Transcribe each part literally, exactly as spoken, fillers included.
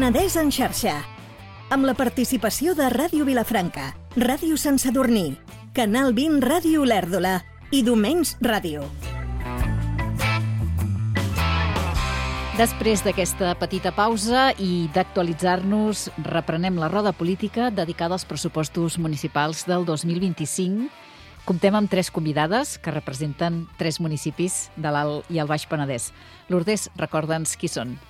Penedès en xarxa, amb la participació de Ràdio Vilafranca, Ràdio Sant Sadurní, Canal vint Ràdio Olèrdola i Domenys Ràdio. Després d'aquesta petita pausa i d'actualitzar-nos, reprenem la roda política dedicada als pressupostos municipals del dos mil vint-i-cinc. Comptem amb tres convidades que representen tres municipis de l'Alt i el Baix Penedès. Lourdes, recorda'ns qui són.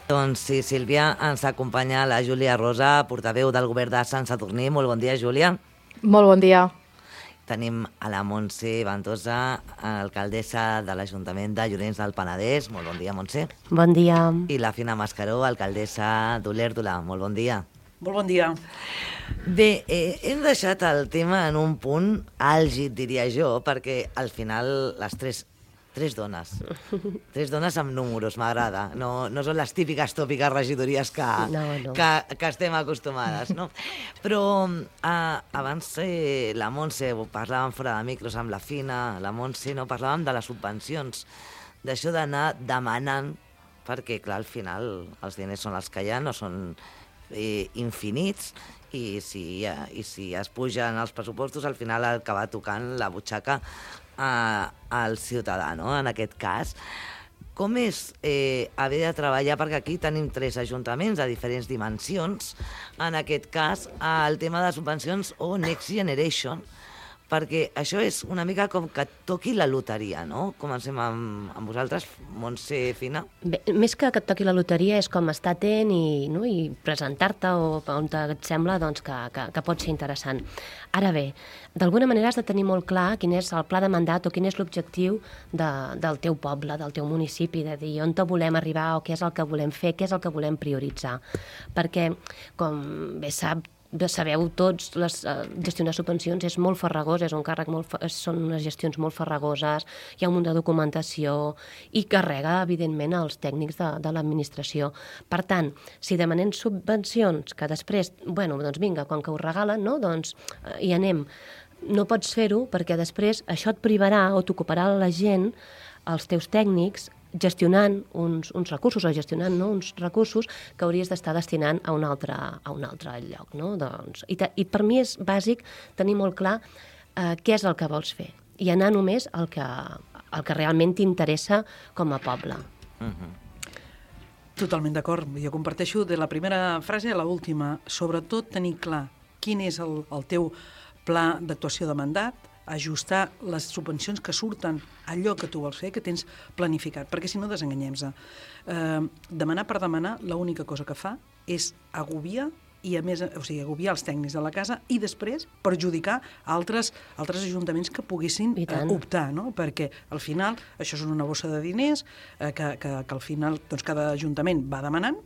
Doncs sí, Sílvia, ens acompanya la Júlia Rosa, portaveu del govern de Sant Sadurní. Molt bon dia, Júlia. Molt bon dia. Tenim a la Montse Ventosa, alcaldessa de l'Ajuntament de Llorenç del Penedès. Molt bon dia, Montse. Bon dia. I la Fina Mascaró, alcaldessa d'Olèrdola. Molt bon dia. Molt bon dia. Bé, eh, hem deixat el tema en un punt àlgid, diria jo, perquè al final les tres, tres dones, tres dones amb números, m'agrada. No, no són les típiques tòpiques regidories que, no, no. que, que estem acostumades, no? Però eh, abans eh, la Montse, parlàvem fora de micros amb la Fina, la Montse, no? Parlàvem de les subvencions, d'això d'anar demanant, perquè clar, al final els diners són els que hi ha, no són eh, infinits, i si, eh, i si es pugen els pressupostos, al final acaba tocant la butxaca eh, al ciutadà, no? En aquest cas. Com és eh, haver de treballar, perquè aquí tenim tres ajuntaments de diferents dimensions, en aquest cas el tema de subvencions o Next Generation, perquè això és una mica com que et toqui la loteria, no? Comencem amb, amb vosaltres, Montse, Fina. Bé, més que que et toqui la loteria és com estar atent i, no, i presentar-te o on et sembla doncs, que, que, que pot ser interessant. Ara bé, d'alguna manera has de tenir molt clar quin és el pla de mandat o quin és l'objectiu de, del teu poble, del teu municipi, de dir on te volem arribar o què és el que volem fer, què és el que volem prioritzar. Perquè, com bé sap, sabeu tots, les, uh, gestionar subvencions és molt farragós, és un càrrec molt, són unes gestions molt farragoses, hi ha un munt de documentació i carrega, evidentment, els tècnics de, de l'administració. Per tant, si demanem subvencions que després, bueno, doncs vinga, quan que ho regalen, no? Doncs uh, hi anem. No pots fer-ho perquè després això et privarà o t'ocuparà la gent, els teus tècnics, gestionant uns, uns recursos o gestionant no, uns recursos que hauries d'estar destinant a un altre, a un altre lloc. No? Doncs, i, te, I per mi és bàsic tenir molt clar eh, què és el que vols fer i anar només al que, el que realment t'interessa com a poble. Uh-huh. Totalment d'acord. Jo comparteixo de la primera frase a l'última. Sobretot tenir clar quin és el, el teu pla d'actuació de mandat, ajustar les subvencions que surten allò que tu vols fer, que tens planificat, perquè si no desenganyem-se. Eh, demanar per demanar, l'única cosa que fa és agobiar i a més, o sigui, agobiar els tècnics de la casa i després perjudicar altres, altres ajuntaments que poguessin eh, optar, no? Perquè al final això és una bossa de diners eh, que, que, que al final doncs, cada ajuntament va demanant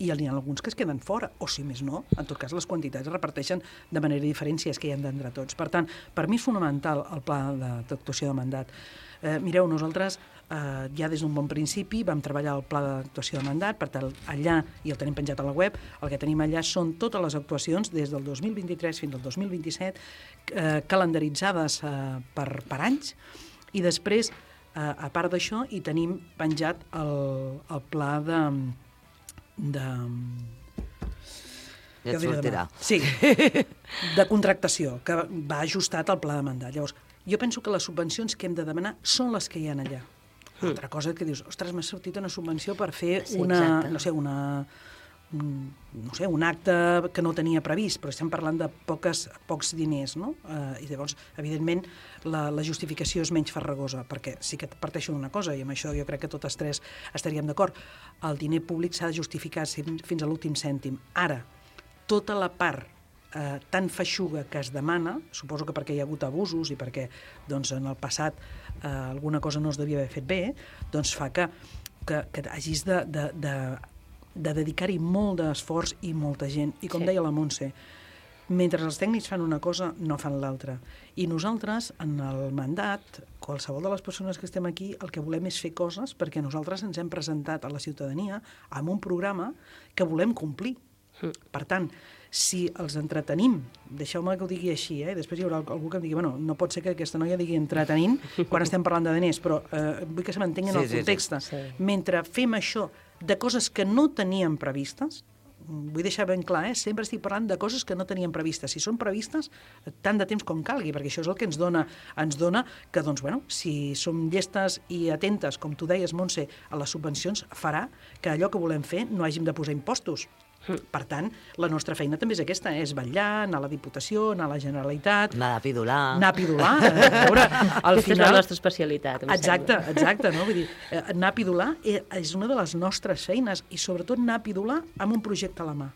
i hi ha alguns que es queden fora, o si més no, en tot cas les quantitats es reparteixen de manera diferent si és que hi hem d'entrar tots. Per tant, per mi és fonamental el pla d'actuació de mandat. Eh, mireu, nosaltres eh, ja des d'un bon principi vam treballar el pla d'actuació de mandat, per tant, allà, i el tenim penjat a la web, el que tenim allà són totes les actuacions des del dos mil vint-i-tres fins al dos mil vint-i-set, eh, calendaritzades eh, per, per anys, i després, eh, a part d'això, hi tenim penjat el, el pla de... de... Ja et sortirà. Sí, de contractació, que va ajustat al pla de mandat. Llavors, jo penso que les subvencions que hem de demanar són les que hi ha allà. Mm. Altra cosa que dius, ostres, m'ha sortit una subvenció per fer sí, una, no sé, una, un, no sé, un acte que no tenia previst, però estem parlant de poques, pocs diners, no? Eh, I llavors, evidentment, la, la justificació és menys farragosa, perquè sí que parteixo d'una cosa, i amb això jo crec que totes tres estaríem d'acord, el diner públic s'ha de justificar fins a l'últim cèntim. Ara, tota la part eh, tan feixuga que es demana, suposo que perquè hi ha hagut abusos i perquè doncs, en el passat eh, alguna cosa no es devia haver fet bé, doncs fa que, que, que hagis de, de, de, de dedicar-hi molt d'esforç i molta gent. I com sí. deia la Montse, mentre els tècnics fan una cosa, no fan l'altra. I nosaltres, en el mandat, qualsevol de les persones que estem aquí, el que volem és fer coses perquè nosaltres ens hem presentat a la ciutadania amb un programa que volem complir. Per tant, si els entretenim, deixeu-me que ho digui així, eh? Després hi haurà algú que em digui, bueno, no pot ser que aquesta noia digui entretenint quan estem parlant de diners, però eh, vull que se m'entengui en el context. Sí, sí. Mentre fem això de coses que no teníem previstes, vull deixar ben clar, eh? Sempre estic parlant de coses que no teníem previstes. Si són previstes, tant de temps com calgui, perquè això és el que ens dona, ens dona que, doncs, bueno, si som llestes i atentes, com tu deies, Montse, a les subvencions, farà que allò que volem fer no hàgim de posar impostos. Per tant, la nostra feina també és aquesta, eh? És vetllar, anar a la Diputació, anar a la Generalitat... Anar a pidolar. Anar a pidolar. A veure, al Aquesta final... és la nostra especialitat, em Exacte, sembla. exacte, no? Vull dir, anar a pidolar és una de les nostres feines i sobretot anar a pidolar amb un projecte a la mà.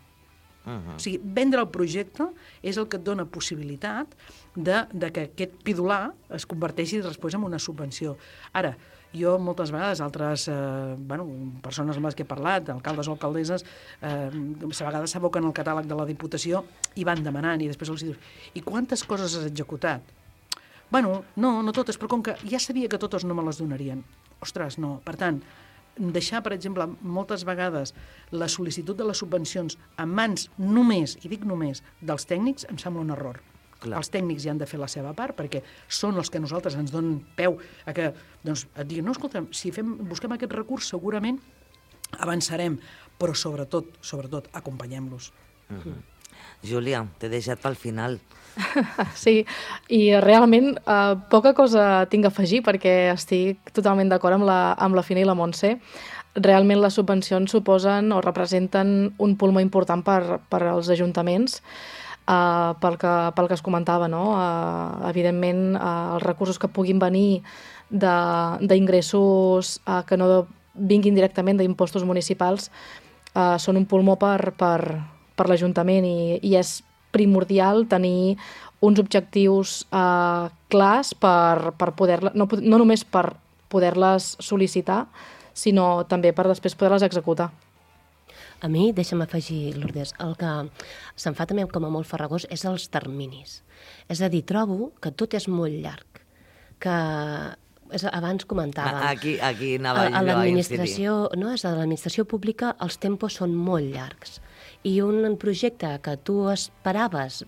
Uh-huh. O sigui, vendre el projecte és el que et dona possibilitat de, de que aquest pidolar es converteixi després en una subvenció. Ara, jo moltes vegades, altres eh, bueno, persones amb les que he parlat, alcaldes o alcaldesses, eh, a vegades s'aboquen al catàleg de la Diputació i van demanant, i després els dius, i quantes coses has executat? Bueno, no, no totes, però com que ja sabia que totes no me les donarien. Ostres, no. Per tant, deixar, per exemple, moltes vegades la sol·licitud de les subvencions en mans només, i dic només, dels tècnics, em sembla un error. Clar. Els tècnics ja han de fer la seva part perquè són els que nosaltres ens donen peu a que doncs, et diguin, no, escolta, si fem, busquem aquest recurs segurament avançarem, però sobretot, sobretot acompanyem-los. Uh-huh. Júlia, t'he deixat pel final. Sí, i realment eh, poca cosa tinc a afegir perquè estic totalment d'acord amb, la, amb la Fina i la Montse. Realment les subvencions suposen o representen un pulmó important per, per als ajuntaments. Uh, pel, que, pel que es comentava, no? Uh, evidentment, uh, els recursos que puguin venir d'ingressos uh, que no vinguin directament d'impostos municipals uh, són un pulmó per, per, per l'Ajuntament i, i és primordial tenir uns objectius uh, clars per, per poder, no, no només per poder-les sol·licitar, sinó també per després poder-les executar. A mi, deixa'm afegir, Lourdes, el que se'm fa també com a molt farragós és els terminis. És a dir, trobo que tot és molt llarg, que és, abans comentàvem... Aquí, aquí anava a, a jo a l'administració, no, és a l'administració pública els tempos són molt llargs. I un projecte que tu esperaves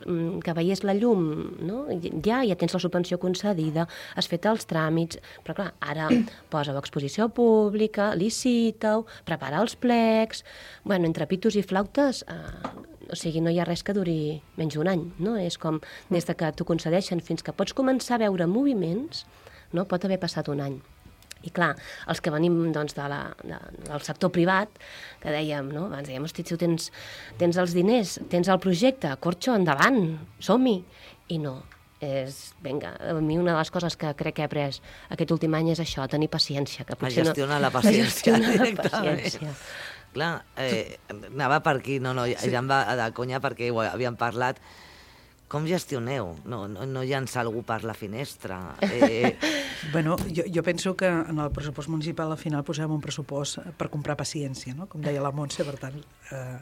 que veiés la llum, no? ja, ja tens la subvenció concedida, has fet els tràmits, però clar, ara posa-ho a exposició pública, licita-ho, prepara els plecs... Bueno, entre pitos i flautes, eh, o sigui, no hi ha res que duri menys d'un any, no? És com des de que t'ho concedeixen fins que pots començar a veure moviments, no? Pot haver passat un any. I clar, els que venim doncs, de la, de, del sector privat, que dèiem, no? Abans dèiem, hosti, tu tens, tens els diners, tens el projecte, corxo, endavant, som-hi. I no, és, vinga, a mi una de les coses que crec que he après aquest últim any és això, tenir paciència. Que a gestionar no, la paciència. A gestionar la paciència. Clar, eh, anava per aquí, no, no, ja, ja em va de conya perquè ho havíem parlat. Com gestioneu? No, no, no llançar algú per la finestra? Eh... Bueno, jo, jo penso que en el pressupost municipal al final posem un pressupost per comprar paciència, no? Com deia la Montse, per tant... Eh...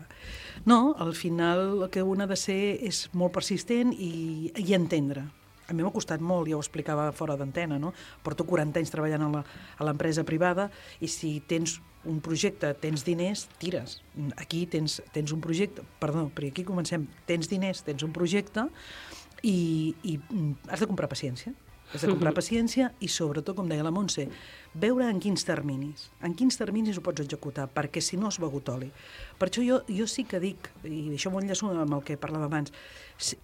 No, al final el que un ha de ser és molt persistent i, i entendre. A mi m'ha costat molt, ja ho explicava fora d'antena, no? Porto quaranta anys treballant a l'empresa privada i si tens un projecte, tens diners, tires. Aquí tens, tens un projecte, perdó, perquè aquí comencem, tens diners, tens un projecte i, i has de comprar paciència. Has de comprar paciència i sobretot, com deia la Montse, veure en quins terminis, en quins terminis ho pots executar, perquè si no has begut oli. Per això jo, jo sí que dic, i això m'ho enllaço amb el que parlava abans, si,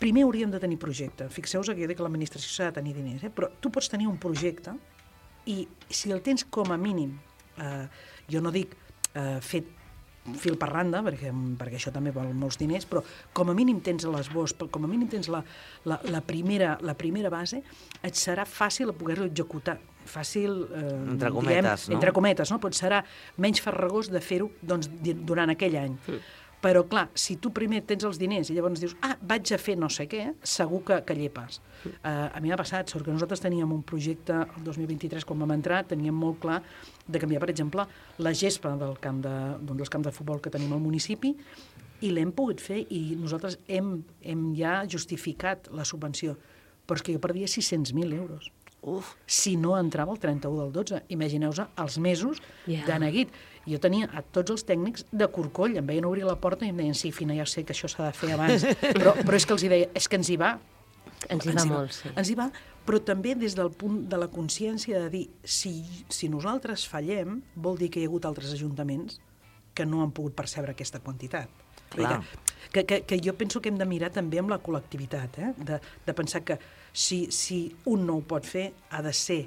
primer hauríem de tenir projecte. Fixeu-vos que jo dic que l'administració s'ha de tenir diners, eh? Però tu pots tenir un projecte i si el tens com a mínim, eh, jo no dic eh, fet fil per randa, perquè, perquè això també vol molts diners, però com a mínim tens l'esbós, com a mínim tens la, la, la, primera, la primera base, et serà fàcil poder-ho executar. Fàcil, eh, entre cometes, diguem, no? Entre cometes, no? Però serà menys farragós de fer-ho doncs, durant aquell any. Mm. Però, clar, si tu primer tens els diners i llavors dius, ah, vaig a fer no sé què, segur que, que llepes. Uh, a mi m'ha passat, sort que nosaltres teníem un projecte el dos mil vint-i-tres, quan vam entrar, teníem molt clar de canviar, per exemple, la gespa del camp de, d'un dels camps de futbol que tenim al municipi i l'hem pogut fer i nosaltres hem, hem ja justificat la subvenció. Però és que jo perdia sis-cents mil euros. Uf. si no entrava el trenta-u del dotze. Imagineu-vos els mesos Ja. de neguit. Jo tenia a tots els tècnics de corcoll, em veien obrir la porta i em deien, sí, Fina, ja sé que això s'ha de fer abans, però, però és que els hi deia, és que ens hi va. Ens hi va molt, sí. Ens hi va, però també des del punt de la consciència de dir, si, si nosaltres fallem, vol dir que hi ha hagut altres ajuntaments que no han pogut percebre aquesta quantitat. Clar. Que, que, que jo penso que hem de mirar també amb la col·lectivitat, eh? de, de pensar que si, si un no ho pot fer, ha de ser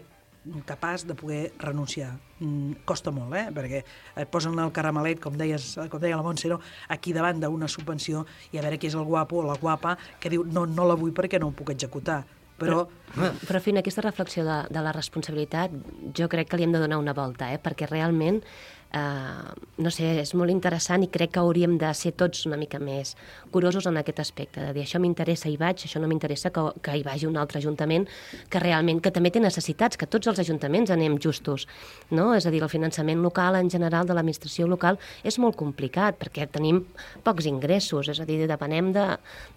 capaç de poder renunciar. Mm, costa molt, eh? Perquè et posen el caramelet, com, deies, com deia la Montse, no? Aquí davant d'una subvenció i a veure qui és el guapo o la guapa que diu no, no la vull perquè no ho puc executar. Però, però, però Fina, aquesta reflexió de, de la responsabilitat jo crec que li hem de donar una volta, eh? Perquè realment Uh, no sé, és molt interessant i crec que hauríem de ser tots una mica més curosos en aquest aspecte, de dir això m'interessa i vaig, això no m'interessa que, que hi vagi un altre ajuntament que realment, que també té necessitats, que tots els ajuntaments anem justos, no? És a dir, el finançament local en general de l'administració local és molt complicat perquè tenim pocs ingressos, és a dir, depenem de,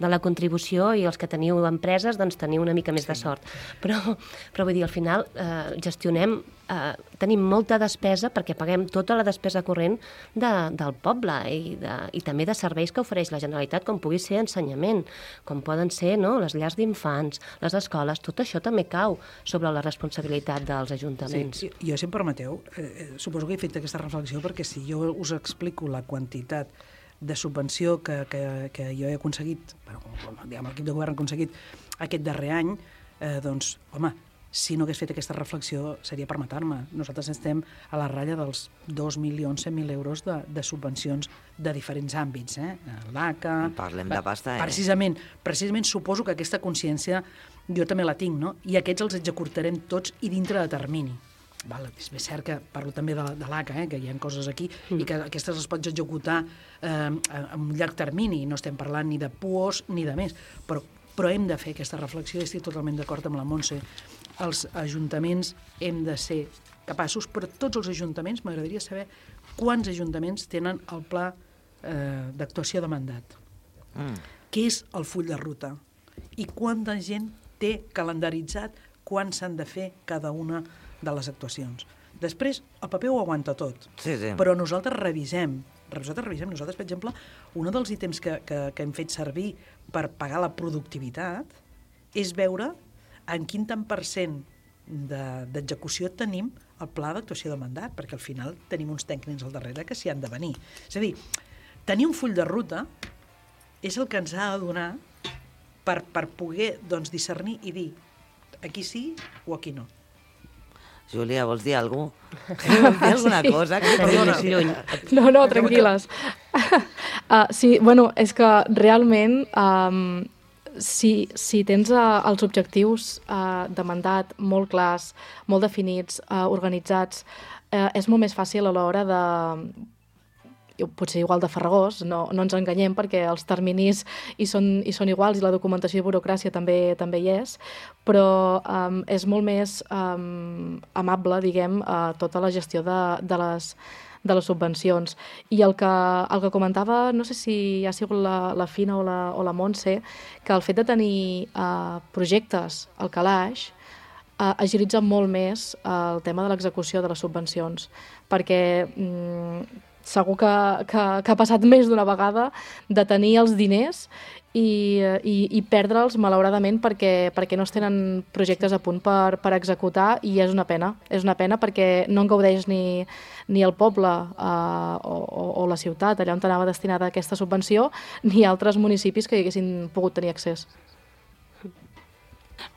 de la contribució i els que teniu empreses doncs teniu una mica més sí. de sort, però, però vull dir, al final eh, gestionem Uh, tenim molta despesa perquè paguem tota la despesa corrent de, del poble i, de, i també de serveis que ofereix la Generalitat, com pugui ser ensenyament, com poden ser no, les llars d'infants, les escoles, tot això també cau sobre la responsabilitat dels ajuntaments. Sí, jo, si em permeteu, eh, suposo que he fet aquesta reflexió perquè si jo us explico la quantitat de subvenció que, que, que jo he aconseguit, bueno, diguem, l'equip de govern ha aconseguit aquest darrer any, eh, doncs, home, si no hagués fet aquesta reflexió seria per matar-me. Nosaltres estem a la ratlla dels dos milions cent mil euros de, de subvencions de diferents àmbits. Eh? L'A C A... Parlem de pasta, eh? Precisament, precisament suposo que aquesta consciència jo també la tinc, no? I aquests els executarem tots i dintre de termini. Val, és bé cert que parlo també de, de l'A C A, eh, que hi ha coses aquí, mm. i que aquestes les pots executar eh, a un llarg termini, no estem parlant ni de P U Os ni de més, però, però hem de fer aquesta reflexió i estic totalment d'acord amb la Montse. Els ajuntaments hem de ser capaços, però tots els ajuntaments, m'agradaria saber quants ajuntaments tenen el pla eh, d'actuació de mandat. Mm. Què és el full de ruta? I quanta gent té calendaritzat quan s'han de fer cada una de les actuacions. Després, el paper ho aguanta tot, sí, sí. però nosaltres revisem. Nosaltres revisem. Nosaltres, per exemple, un dels ítems que, que, que hem fet servir per pagar la productivitat és veure en quin tant per cent d'execució tenim el pla d'actuació de mandat, perquè al final tenim uns tècnics al darrere que s'hi han de venir. És a dir, tenir un full de ruta és el que ens ha de donar per, per poder doncs, discernir i dir aquí sí o aquí no. Júlia, vols dir alguna cosa? Vols dir alguna sí. cosa? Que Perdona. No, no, tranquil·les. uh, sí, bueno, és que realment... Um, Si, si tens uh, els objectius uh, de mandat molt clars, molt definits, uh, organitzats, uh, és molt més fàcil a l'hora de... potser igual de farragós, no, no ens enganyem perquè els terminis hi són, hi són iguals i la documentació i burocràcia també també hi és, però um, és molt més um, amable, diguem, uh, tota la gestió de, de les de les subvencions. I el que, el que comentava, no sé si ha sigut la, la Fina o la, o la Montse, que el fet de tenir uh, projectes al calaix uh, agilitza molt més uh, el tema de l'execució de les subvencions, perquè mm, segur que, que, que ha passat més d'una vegada de tenir els diners i, i, i perdre'ls, malauradament, perquè, perquè no es tenen projectes a punt per, per executar, i és una pena. És una pena perquè no en gaudeix ni, ni el poble eh, o, o la ciutat, allà on anava destinada aquesta subvenció, ni altres municipis que hi haguessin pogut tenir accés.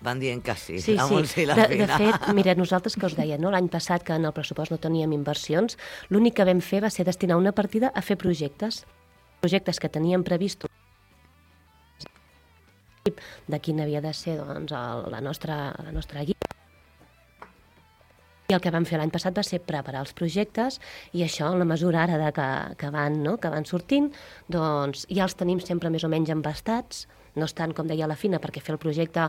Van dient que sí, sí la Montse i la de, Fina. De fet, mira, nosaltres que us deia, no? L'any passat que en el pressupost no teníem inversions, l'únic que vam fer va ser destinar una partida a fer projectes. Projectes que teníem previstos de quin havia de ser doncs, el, la, nostra, la nostra guia. I el que vam fer l'any passat va ser preparar els projectes i això, en la mesura ara de que, que, van, no? que van sortint, doncs ja els tenim sempre més o menys embastats, no estan, com deia la Fina, perquè fer el projecte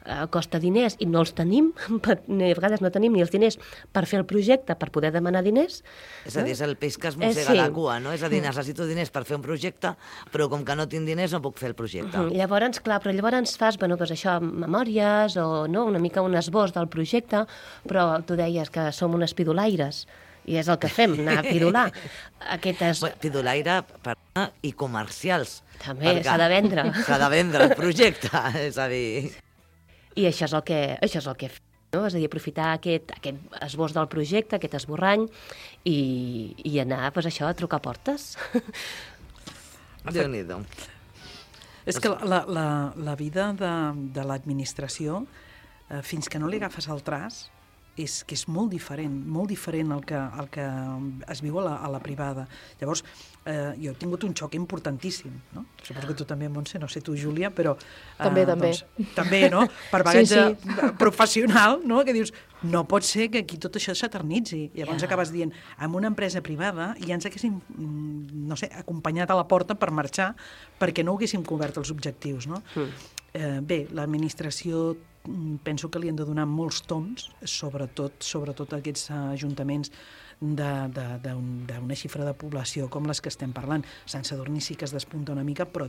eh, costa diners i no els tenim, per, a vegades no tenim ni els diners per fer el projecte, per poder demanar diners. És a dir, és el peix que es mossega eh, sí. la cua, no? És a dir, necessito diners per fer un projecte, però com que no tinc diners no puc fer el projecte. Uh -huh. Llavors, clar, però llavors fas, bueno, doncs això, memòries o no, una mica un esbós del projecte, però tu deies que som unes pidolaires, i és el que fem, anar a pidolar. Aquestes... Bueno, pidolaire perdona, i comercials. També s'ha de vendre. S'ha de vendre el projecte, és a dir... I això és el que, això és el que fem, no? És a dir, aprofitar aquest, aquest esbós del projecte, aquest esborrany, i, i anar, doncs això, a trucar portes. Déu-n'hi-do. És que la, la, la vida de, de l'administració, eh, fins que no li agafes el traç, és que és molt diferent, molt diferent el que, el que es viu a la, a la privada. Llavors, eh, jo he tingut un xoc importantíssim, no? Suposo que tu també, Montse, no sé tu, Júlia, però... Eh, També, també. Doncs, també, no? Per bagatge Sí, sí. professional, no? Que dius, no pot ser que aquí tot això s'eternitzi. Llavors Ja. acabes dient, en una empresa privada ja ens haguéssim, mm, no sé, acompanyat a la porta per marxar perquè no haguéssim cobert els objectius, no? Mm. Eh, bé, l'administració penso que li han de donar molts toms, sobretot, sobretot a aquests ajuntaments d'una xifra de població com les que estem parlant. Sant Sadurní sí que es despunta una mica, però,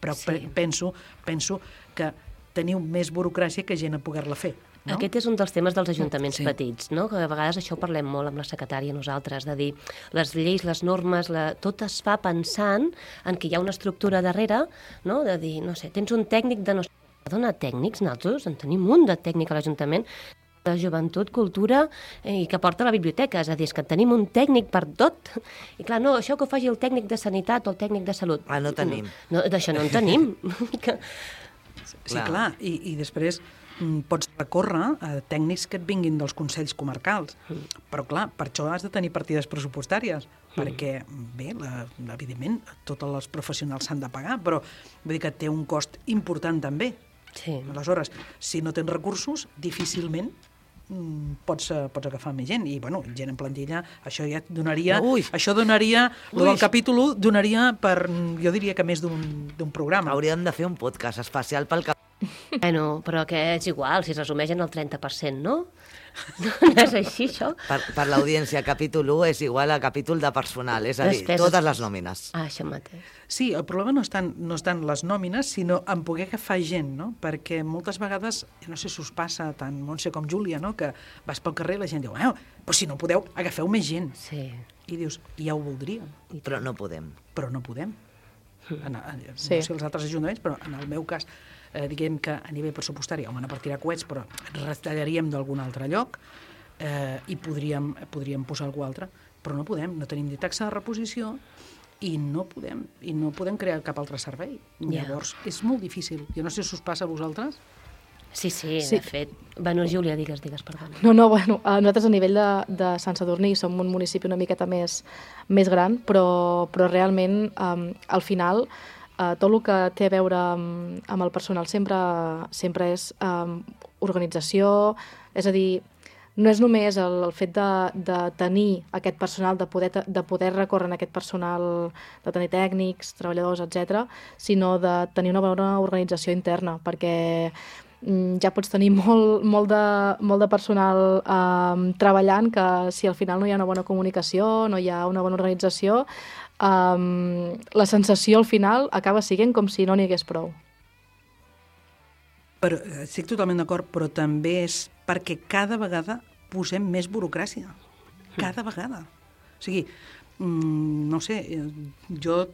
però Sí. penso, penso que teniu més burocràcia que gent a poder-la fer. No? Aquest és un dels temes dels ajuntaments Sí. petits, no? Que a vegades això ho parlem molt amb la secretària nosaltres, de dir, les lleis, les normes, la... tot es fa pensant en que hi ha una estructura darrere, no? De dir, no sé, tens un tècnic de no sé, dona tècnics, nosaltres en tenim un de tècnic a l'Ajuntament, de joventut, cultura, eh, i que porta a la biblioteca, és a dir, és que tenim un tècnic per tot. I clar, no, això que ho faci el tècnic de sanitat o el tècnic de salut. Ah, no tenim. No, d'això no en tenim. que... Sí, Clar. clar, i, i després mm, pots recórrer a tècnics que et vinguin dels consells comarcals. Però, clar, per això has de tenir partides pressupostàries, perquè, bé, la, evidentment, tots els professionals s'han de pagar, però vull dir que té un cost important també. Sí. Aleshores, si no tens recursos, difícilment mm, pots, eh, pots agafar més gent. I, bueno, gent en plantilla, això ja et donaria... Ui. Això donaria... Ui. El del capítol u donaria per, jo diria que més d'un d'un programa. Hauríem de fer un podcast especial pel cap... Bueno, però que és igual, si es resumeix en el trenta per cent, no? No és així, això? Per, per l'audiència, capítol u és igual a capítol de personal, és a dir, Despeses. totes les nòmines. Ah, això mateix. Sí, el problema no estan, no estan les nòmines, sinó en poder agafar gent, no? Perquè moltes vegades, no sé si us passa tant Montse com Júlia, no? Que vas pel carrer i la gent diu, eh, però si no podeu, agafeu més gent. Sí. I dius, ja ho voldríem, Però no podem. però no podem. En, en, Sí. No sé els altres ajuntaments, però en el meu cas, eh, diguem que a nivell pressupostari, home, no per tirar coets, però retallaríem d'algun altre lloc eh, i podríem, podríem posar algú altre, però no podem, no tenim ni taxa de reposició i no podem, i no podem crear cap altre servei. Ja. Llavors, és molt difícil. Jo no sé si us passa a vosaltres. Sí, sí, Sí. de fet. Bueno, Júlia, digues, digues, perdona. No, no, bueno, eh, nosaltres a nivell de, de Sant Sadurní som un municipi una miqueta més, més gran, però, però realment, um, al final, uh, tot el que té a veure amb, amb el personal sempre, sempre és um, organització, és a dir, no és només el, el fet de, de tenir aquest personal, de poder, de poder recórrer en aquest personal, de tenir tècnics, treballadors, etcètera, sinó de tenir una bona organització interna, perquè ja pots tenir molt, molt, de, molt de personal um, treballant que si al final no hi ha una bona comunicació, no hi ha una bona organització, um, la sensació al final acaba sent com si no n'hi hagués prou. Però, estic totalment d'acord, però també és perquè cada vegada posem més burocràcia. Cada vegada. O sigui, mm, no sé, jo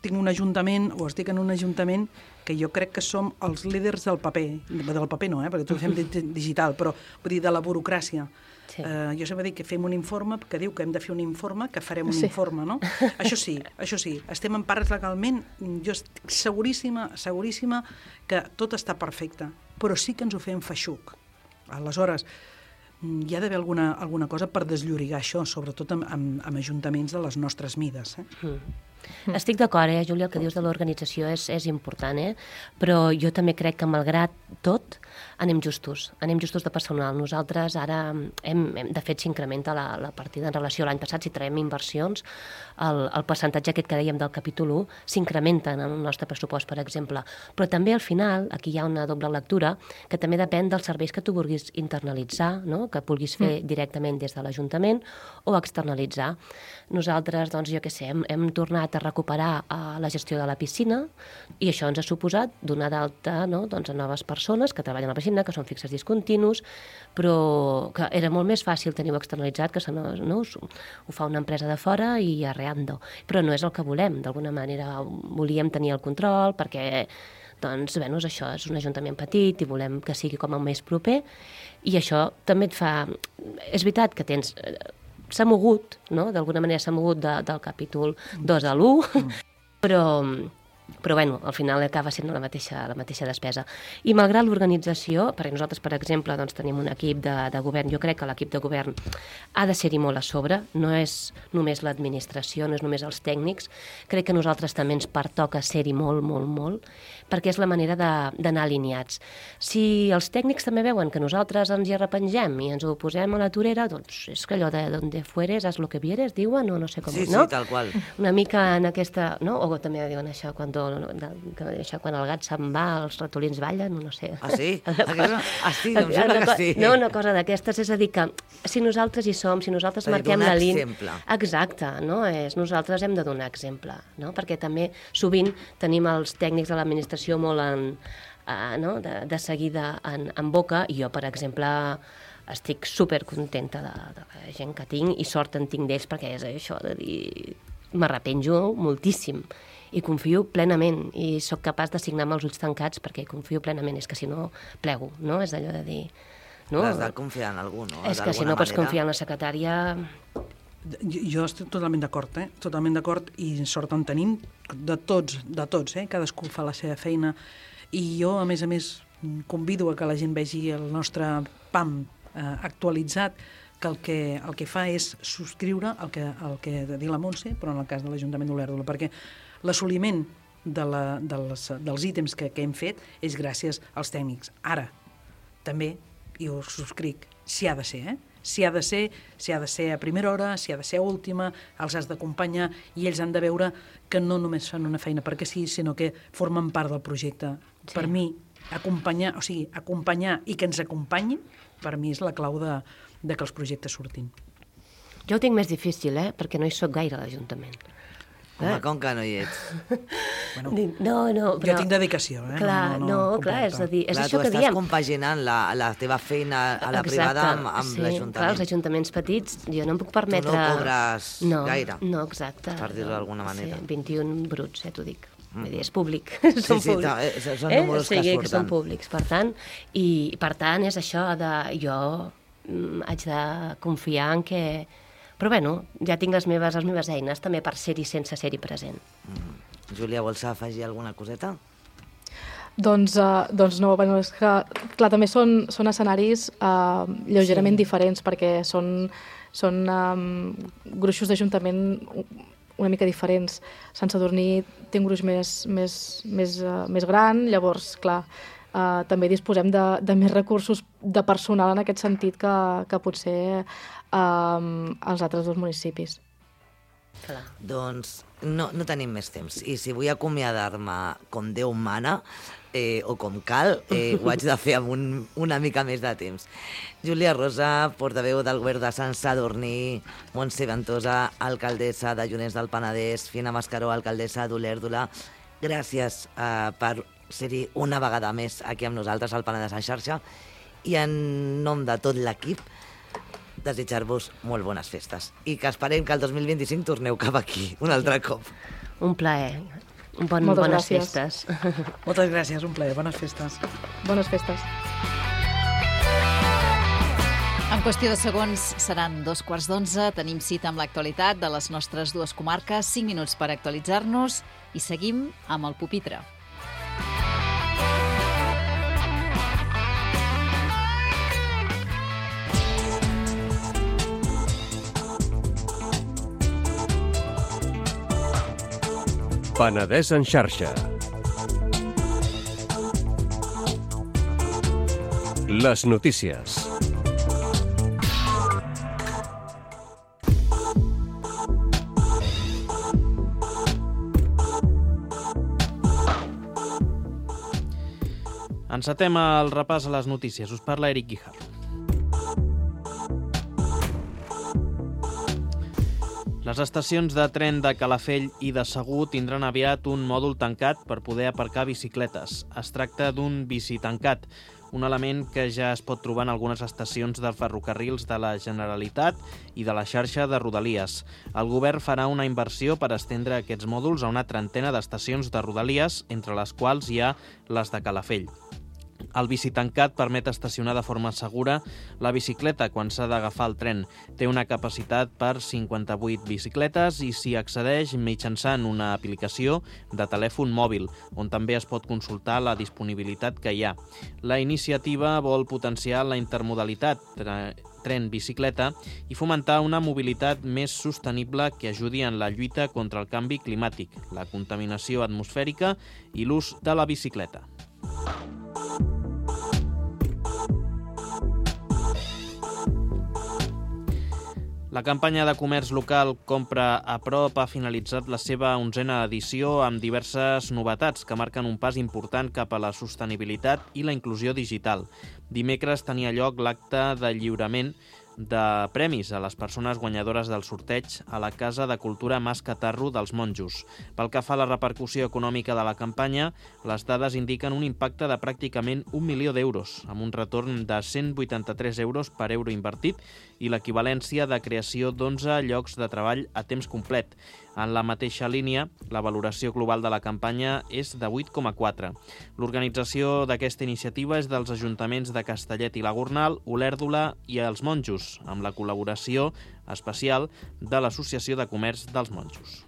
tinc un ajuntament, o estic en un ajuntament que jo crec que som els líders del paper. Del paper no, eh, perquè tot ho fem digital, però vull dir, de la burocràcia. Sí. Uh, jo sempre dic que fem un informe, que diu que hem de fer un informe, que farem un Sí. informe, no? Això sí, això sí, estem empares legalment, jo estic seguríssima, seguríssima que tot està perfecte, però sí que ens ho fem feixuc. Aleshores, hi ha d'haver alguna, alguna cosa per desllorigar això, sobretot amb, amb, amb ajuntaments de les nostres mides. Eh? Mm. Mm. Estic d'acord, eh, Júlia, el que dius de l'organització és, és important, eh? Però jo també crec que, malgrat tot, anem justos, anem justos de personal. Nosaltres ara, hem, hem, de fet, s'incrementa la, la partida en relació a l'any passat. Si traiem inversions, el, el percentatge aquest que dèiem del capítol u s'incrementa en el nostre pressupost, per exemple. Però també, al final, aquí hi ha una doble lectura, que també depèn dels serveis que tu vulguis internalitzar, no? Que vulguis fer mm. directament des de l'Ajuntament o externalitzar. Nosaltres, doncs, jo què sé, hem, hem tornat a recuperar uh, la gestió de la piscina i això ens ha suposat donar d'alta, no? Doncs, a noves persones que treballen a la piscina, que són fixes discontinus, però que era molt més fàcil tenir-ho externalitzat, que no, no, ho fa una empresa de fora i arreando. Però no és el que volem, d'alguna manera volíem tenir el control perquè doncs, bé, això és un ajuntament petit i volem que sigui com el més proper i això també et fa... És veritat que tens... S'ha mogut, no? D'alguna manera s'ha mogut de, del capítol dos a l'u, mm. però, però bueno, al final acaba sent la mateixa, la mateixa despesa. I malgrat l'organització, perquè nosaltres, per exemple, doncs, tenim un equip de, de govern, jo crec que l'equip de govern ha de ser-hi molt a sobre, no és només l'administració, no és només els tècnics, crec que a nosaltres també ens pertoca ser-hi molt, molt, molt, perquè és la manera d'anar alineats. Si els tècnics també veuen que nosaltres ens hi arrepengem i ens ho posem a la torera, doncs és que allò de donde fueres, haz lo que vieres, diuen, o no sé com, sí, no? Sí, tal qual. Una mica en aquesta... No? O també diuen això, quan, això, quan el gat se'n va, els ratolins ballen, no sé. Ah, sí? Aquesta... Ah, sí, em sembla que sí. No, una cosa d'aquestes, és a dir, que si nosaltres hi som, si nosaltres marquem la línia... exemple. Exacte, no? És, nosaltres hem de donar exemple, no? Perquè també sovint tenim els tècnics de l'administració molt en, uh, no? de, de seguida en, en boca, i jo, per exemple, estic supercontenta de, de la gent que tinc i sort en tinc d'ells, perquè és això de dir... M'arrepenjo moltíssim i confio plenament i sóc capaç de signar amb els ulls tancats perquè confio plenament, és que si no plego, no? És allò de dir... No? Has de confiar en algú, no? És que si no pots confiar en la secretària... Jo, jo estic totalment d'acord, eh? Totalment d'acord, i sort en tenim de tots, de tots, eh? Cadascú fa la seva feina, i jo, a més a més, convido a que la gent vegi el nostre P A M eh, actualitzat, que el que, el que fa és subscriure el que, el que ha de dir la Montse, però en el cas de l'Ajuntament d'Olèrdola, perquè l'assoliment de la, dels, dels ítems que, que hem fet és gràcies als tècnics. Ara, també, i ho subscric, si ha de ser, eh? Si ha de ser, si ha de ser a primera hora, si ha de ser a última, els has d'acompanyar i ells han de veure que no només fan una feina perquè sí, sinó que formen part del projecte. Sí. Per mi, acompanyar, o sigui, acompanyar i que ens acompanyin, per mi és la clau de, de que els projectes surtin. Jo ho tinc més difícil, eh? Perquè no hi soc gaire a l'Ajuntament. Home, com que no hi ets? Bueno, no, no, però... Jo tinc dedicació, eh? Clar, no, no, no clar, és a dir, és clar, això que diem. Tu estàs compaginant la, la teva feina a la Exacte, privada amb, amb sí, l'Ajuntament. Clar, els ajuntaments petits, jo no em puc permetre... Tu no cobres no, gaire. No, exacte. Per dir-ho d'alguna manera. Sí, vint-i-un bruts, eh, t'ho dic. Mm. Vull dir, és públic. Sí, són sí, públics. sí, són números eh? O sigui, que surten. Que són públics, per tant, i per tant és això de... Jo mm, haig de confiar en que... Però bueno, ja tinc les meves, les meves eines també per ser-hi sense ser-hi present. Mm. Júlia, vols afegir alguna coseta? Doncs, uh, doncs no, bueno, és que, clar, també són, són escenaris uh, lleugerament sí. diferents, perquè són, són um, gruixos d'Ajuntament una mica diferents. Sant Sadurní té un gruix més, més, més, uh, més gran, llavors, clar, uh, també disposem de, de més recursos de personal en aquest sentit que, que potser uh, els altres dos municipis. Clar. Doncs no, no tenim més temps. I si vull acomiadar-me com Déu mana, eh, o com cal, eh, ho haig de fer amb un, una mica més de temps. Júlia Rosa, portaveu del govern de Sant Sadurní, Montse Ventosa, alcaldessa de Llunes del Penedès, Fina Mascaró, alcaldessa d'Olèrdola, gràcies eh, per ser-hi una vegada més aquí amb nosaltres al Penedès en xarxa, i en nom de tot l'equip desitjar-vos molt bones festes i que esperem que el dos mil vint-i-cinc torneu cap aquí un altre cop. Un plaer. Un bon, Moltes bones gràcies. festes. Moltes gràcies, un plaer. Bones festes. Bones festes. En qüestió de segons seran dos quarts d'onze. Tenim cita amb l'actualitat de les nostres dues comarques, cinc minuts per actualitzar-nos i seguim amb el pupitre. Penedès en xarxa. Les notícies. Encetem el repàs a les notícies. Us parla Eric Guijarro. Les estacions de tren de Calafell i de Segur tindran aviat un mòdul tancat per poder aparcar bicicletes. Es tracta d'un bicitancat, un element que ja es pot trobar en algunes estacions dels ferrocarrils de la Generalitat i de la xarxa de Rodalies. El govern farà una inversió per estendre aquests mòduls a una trentena d'estacions de Rodalies, entre les quals hi ha les de Calafell. El bicitancat permet estacionar de forma segura la bicicleta quan s'ha d'agafar el tren. Té una capacitat per cinquanta-vuit bicicletes i s'hi accedeix mitjançant una aplicació de telèfon mòbil, on també es pot consultar la disponibilitat que hi ha. La iniciativa vol potenciar la intermodalitat tren-bicicleta i fomentar una mobilitat més sostenible que ajudi en la lluita contra el canvi climàtic, la contaminació atmosfèrica i l'ús de la bicicleta. La campanya de comerç local Compra a prop ha finalitzat la seva onzena edició amb diverses novetats que marquen un pas important cap a la sostenibilitat i la inclusió digital. Dimecres tenia lloc l'acte de lliurament de premis a les persones guanyadores del sorteig a la Casa de Cultura Mas Catarro dels Monjos. Pel que fa a la repercussió econòmica de la campanya, les dades indiquen un impacte de pràcticament un milió d'euros, amb un retorn de cent vuitanta-tres euros per euro invertit i l'equivalència de creació d'onze llocs de treball a temps complet. En la mateixa línia, la valoració global de la campanya és de vuit coma quatre. L'organització d'aquesta iniciativa és dels ajuntaments de Castellet i la Gornal, Olèrdola i els Monjos, amb la col·laboració especial de l'Associació de Comerç dels Monjos.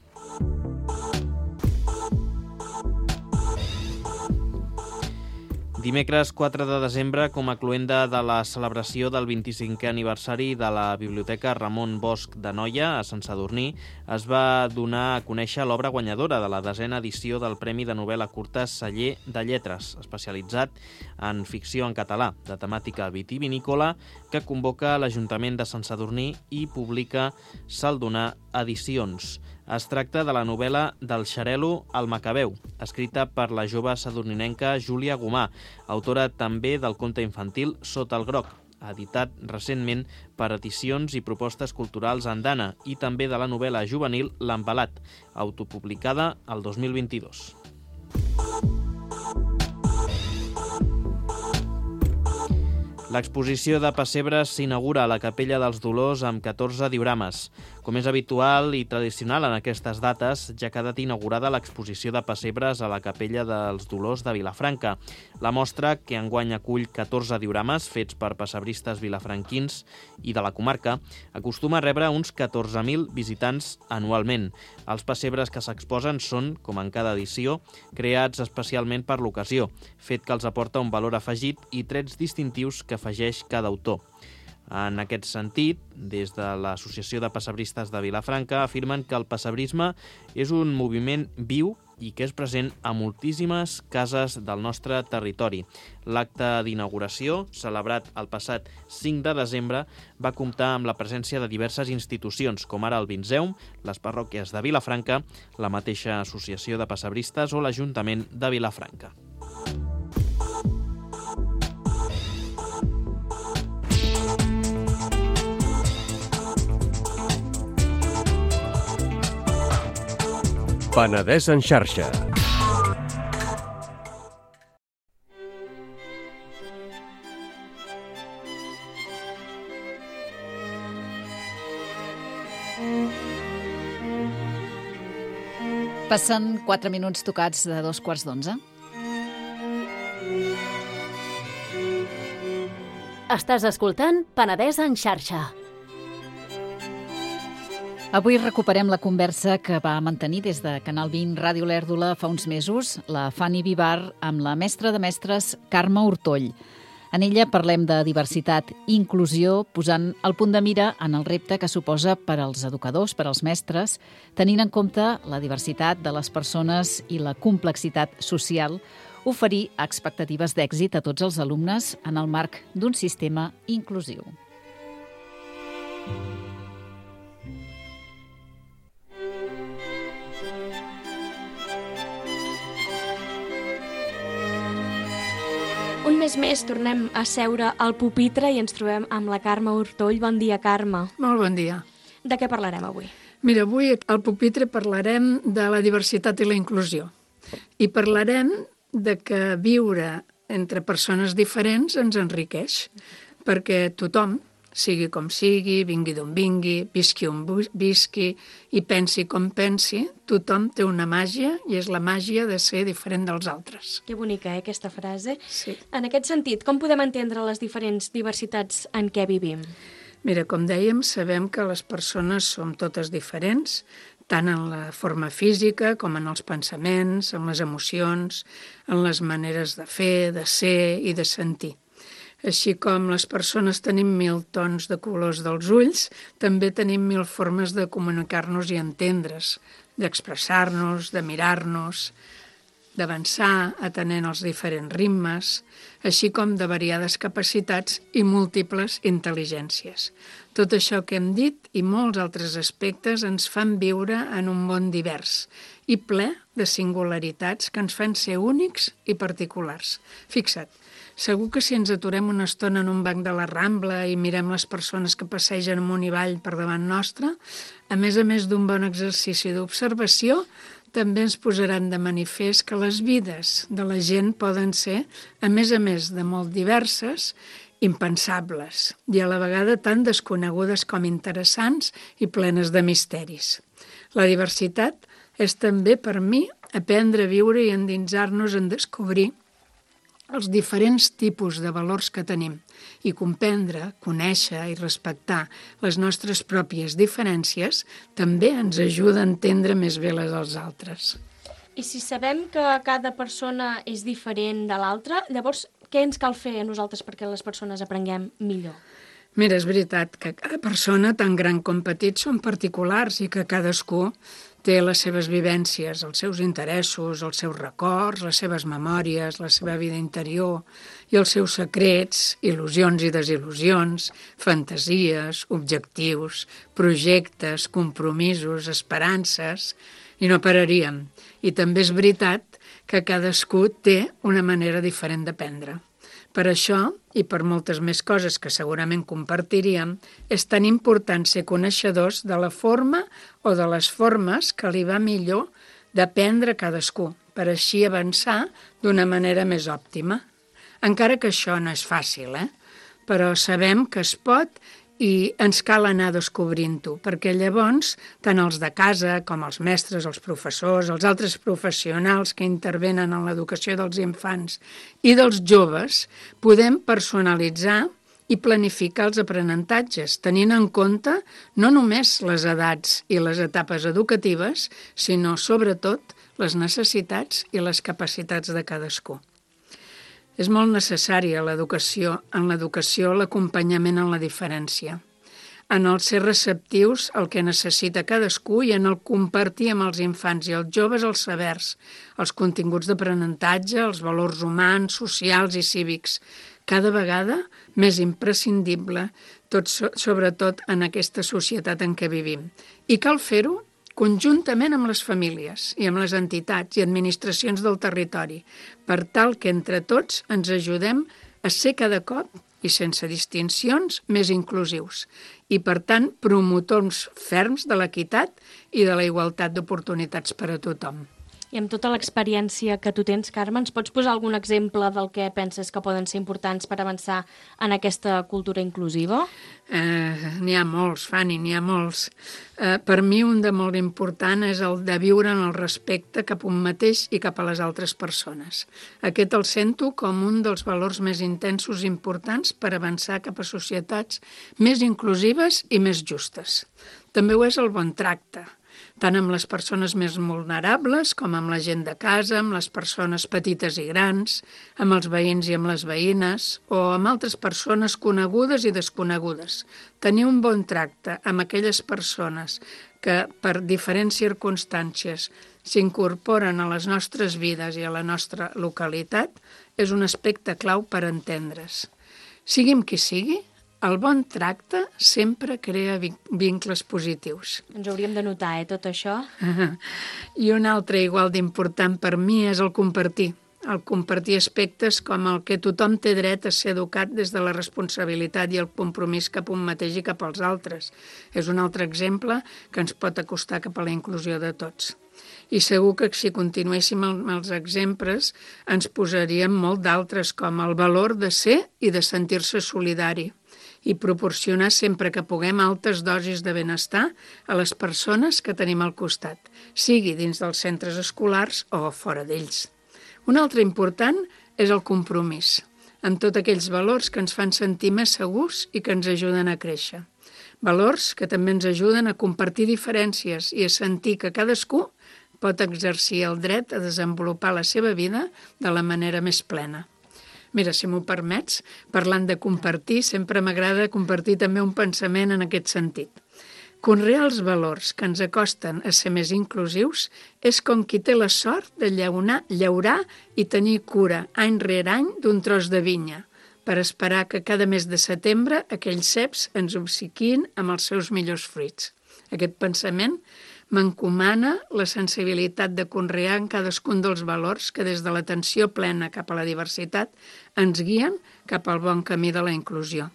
Dimecres quatre de desembre, com a cloenda de la celebració del vint-i-cinquè aniversari de la Biblioteca Ramon Bosch de Noia, a Sant Sadurní, es va donar a conèixer l'obra guanyadora de la desena edició del Premi de Novel·la Curta Celler de Lletres, especialitzat en ficció en català, de temàtica vitivinícola, que convoca l'Ajuntament de Sant Sadurní i publica Saldonar Edicions. Es tracta de la novel·la del Xarel·lo al Macabeu, escrita per la jove sadurninenca Júlia Gomà, autora també del conte infantil Sota el groc, editat recentment per Edicions i Propostes Culturals Andana, i també de la novel·la juvenil L'Embalat, autopublicada el dos mil vint-i-dos. L'exposició de pessebres s'inaugura a la Capella dels Dolors amb catorze diorames. Com és habitual i tradicional en aquestes dates, ja ha quedat inaugurada l'exposició de pessebres a la Capella dels Dolors de Vilafranca. La mostra, que enguany acull catorze diorames fets per pessebristes vilafranquins i de la comarca, acostuma a rebre uns catorze mil visitants anualment. Els pessebres que s'exposen són, com en cada edició, creats especialment per l'ocasió, fet que els aporta un valor afegit i trets distintius que afegeix cada autor. En aquest sentit, des de l'Associació de Pessebristes de Vilafranca afirmen que el pessebrisme és un moviment viu i que és present a moltíssimes cases del nostre territori. L'acte d'inauguració, celebrat el passat cinc de desembre, va comptar amb la presència de diverses institucions, com ara el Vinzeum, les parròquies de Vilafranca, la mateixa Associació de Pessebristes o l'Ajuntament de Vilafranca. Penedès en xarxa. Passen quatre minuts tocats de dos quarts d'onze. Estàs escoltant Penedès en xarxa. Avui recuperem la conversa que va mantenir des de Canal vint Ràdio Lèrdula fa uns mesos la Fanny Vivar amb la mestra de mestres Carme Hortoll. En ella parlem de diversitat i inclusió, posant el punt de mira en el repte que suposa per als educadors, per als mestres, tenint en compte la diversitat de les persones i la complexitat social, oferir expectatives d'èxit a tots els alumnes en el marc d'un sistema inclusiu. Un mes més tornem a seure al pupitre i ens trobem amb la Carme Hortoll. Bon dia, Carme. Molt bon dia. De què parlarem avui? Mira, avui al pupitre parlarem de la diversitat i la inclusió. I parlarem de que viure entre persones diferents ens enriqueix, perquè tothom, sigui com sigui, vingui d'on vingui, visqui on visqui i pensi com pensi, tothom té una màgia i és la màgia de ser diferent dels altres. Que bonica, eh, aquesta frase. Sí. En aquest sentit, com podem entendre les diferents diversitats en què vivim? Mira, com dèiem, sabem que les persones som totes diferents, tant en la forma física com en els pensaments, en les emocions, en les maneres de fer, de ser i de sentir. Així com les persones tenim mil tons de colors dels ulls, també tenim mil formes de comunicar-nos i entendre's, d'expressar-nos, de mirar-nos, d'avançar atenent els diferents ritmes, així com de variades capacitats i múltiples intel·ligències. Tot això que hem dit i molts altres aspectes ens fan viure en un món divers i ple de singularitats que ens fan ser únics i particulars. Fixa't, segur que si ens aturem una estona en un banc de la Rambla i mirem les persones que passegen amunt i avall per davant nostre, a més a més d'un bon exercici d'observació, també ens posaran de manifest que les vides de la gent poden ser, a més a més de molt diverses, impensables i a la vegada tan desconegudes com interessants i plenes de misteris. La diversitat és també, per mi, aprendre a viure i endinsar-nos en descobrir els diferents tipus de valors que tenim i comprendre, conèixer i respectar les nostres pròpies diferències també ens ajuda a entendre més bé les dels altres. I si sabem que cada persona és diferent de l'altra, llavors què ens cal fer a nosaltres perquè les persones aprenguem millor? Mira, és veritat que cada persona, tan gran com petit, són particulars i que cadascú té les seves vivències, els seus interessos, els seus records, les seves memòries, la seva vida interior i els seus secrets, il·lusions i desil·lusions, fantasies, objectius, projectes, compromisos, esperances, i no pararíem. I també és veritat que cadascú té una manera diferent d'aprendre. Per això, i per moltes més coses que segurament compartiríem, és tan important ser coneixedors de la forma o de les formes que li va millor d'aprendre a cadascú, per així avançar d'una manera més òptima. Encara que això no és fàcil, eh? Però sabem que es pot i ens cal anar descobrint-ho, perquè llavors tant els de casa com els mestres, els professors, els altres professionals que intervenen en l'educació dels infants i dels joves, podem personalitzar i planificar els aprenentatges, tenint en compte no només les edats i les etapes educatives, sinó sobretot les necessitats i les capacitats de cadascú. És molt necessària l'educació, en l'educació l'acompanyament en la diferència, en el ser receptius al que necessita cadascú i en el compartir amb els infants i els joves els sabers, els continguts d'aprenentatge, els valors humans, socials i cívics, cada vegada més imprescindible, tot sobretot en aquesta societat en què vivim. I cal fer-ho conjuntament amb les famílies i amb les entitats i administracions del territori, per tal que entre tots ens ajudem a ser cada cop, i sense distincions, més inclusius i, per tant, promotors ferms de l'equitat i de la igualtat d'oportunitats per a tothom. I amb tota l'experiència que tu tens, Carme, ens pots posar algun exemple del que penses que poden ser importants per avançar en aquesta cultura inclusiva? Eh, n'hi ha molts, Fanny, n'hi ha molts. Eh, per mi un de molt important és el de viure en el respecte cap a un mateix i cap a les altres persones. Aquest el sento com un dels valors més intensos i importants per avançar cap a societats més inclusives i més justes. També ho és el bon tracte. tant amb les persones més vulnerables com amb la gent de casa, amb les persones petites i grans, amb els veïns i amb les veïnes, o amb altres persones conegudes i desconegudes. Tenir un bon tracte amb aquelles persones que per diferents circumstàncies s'incorporen a les nostres vides i a la nostra localitat és un aspecte clau per entendre's. Siguin qui sigui, el bon tracte sempre crea vincles positius. Ens hauríem de notar, eh, tot això. I un altre igual d'important per mi és el compartir. El compartir aspectes com el que tothom té dret a ser educat des de la responsabilitat i el compromís cap un mateix i cap als altres. És un altre exemple que ens pot acostar cap a la inclusió de tots. I segur que si continuéssim amb els exemples ens posaríem molt d'altres, com el valor de ser i de sentir-se solidari i proporcionar sempre que puguem altes dosis de benestar a les persones que tenim al costat, sigui dins dels centres escolars o fora d'ells. Un altre important és el compromís, amb tots aquells valors que ens fan sentir més segurs i que ens ajuden a créixer. Valors que també ens ajuden a compartir diferències i a sentir que cadascú pot exercir el dret a desenvolupar la seva vida de la manera més plena. Mira, si m'ho permets, parlant de compartir, sempre m'agrada compartir també un pensament en aquest sentit. Conrear els valors que ens acosten a ser més inclusius és com qui té la sort de llaurar, llaurar i tenir cura any rere any d'un tros de vinya, per esperar que cada mes de setembre aquells ceps ens obsequiïn amb els seus millors fruits. Aquest pensament m'encomana la sensibilitat de conrear en cadascun dels valors que des de l'atenció plena cap a la diversitat ens guien cap al bon camí de la inclusió.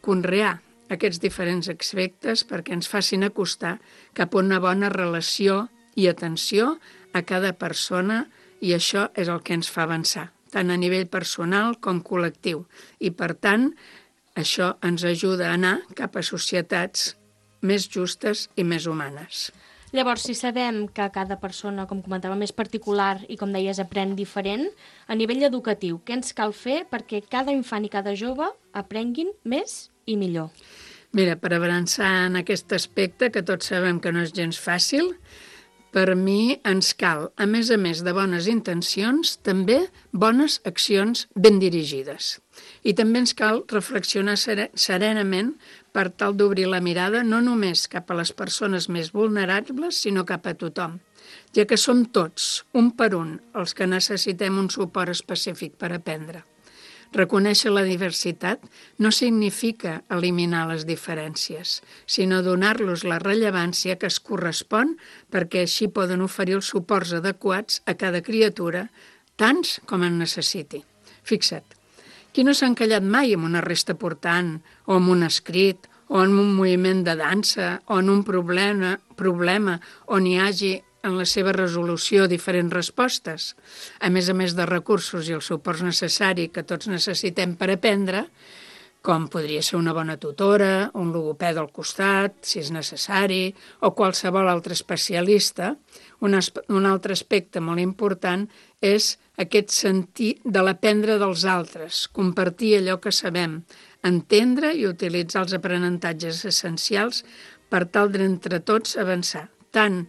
Conrear aquests diferents aspectes perquè ens facin acostar cap a una bona relació i atenció a cada persona, i això és el que ens fa avançar, tant a nivell personal com col·lectiu. I, per tant, això ens ajuda a anar cap a societats més justes i més humanes. Llavors, si sabem que cada persona, com comentàvem, és particular i, com deies, aprèn diferent, a nivell educatiu, què ens cal fer perquè cada infant i cada jove aprenguin més i millor? Mira, per avançar en aquest aspecte, que tots sabem que no és gens fàcil, per mi ens cal, a més a més de bones intencions, també bones accions ben dirigides. I també ens cal reflexionar serenament per tal d'obrir la mirada no només cap a les persones més vulnerables, sinó cap a tothom, ja que som tots, un per un, els que necessitem un suport específic per aprendre. Reconèixer la diversitat no significa eliminar les diferències, sinó donar-los la rellevància que es correspon perquè així poden oferir els suports adequats a cada criatura, tants com en necessiti. Fixa't, qui no s'ha encallat mai en una resta portant, o en un escrit, o en un moviment de dansa, o en un problema, problema on hi hagi en la seva resolució diferents respostes, a més a més de recursos i el suport necessari que tots necessitem per aprendre, com podria ser una bona tutora, un logopeda al costat, si és necessari, o qualsevol altre especialista. Un, un altre aspecte molt important és aquest sentit de l'aprendre dels altres, compartir allò que sabem, entendre i utilitzar els aprenentatges essencials per tal d'entre tots avançar, tant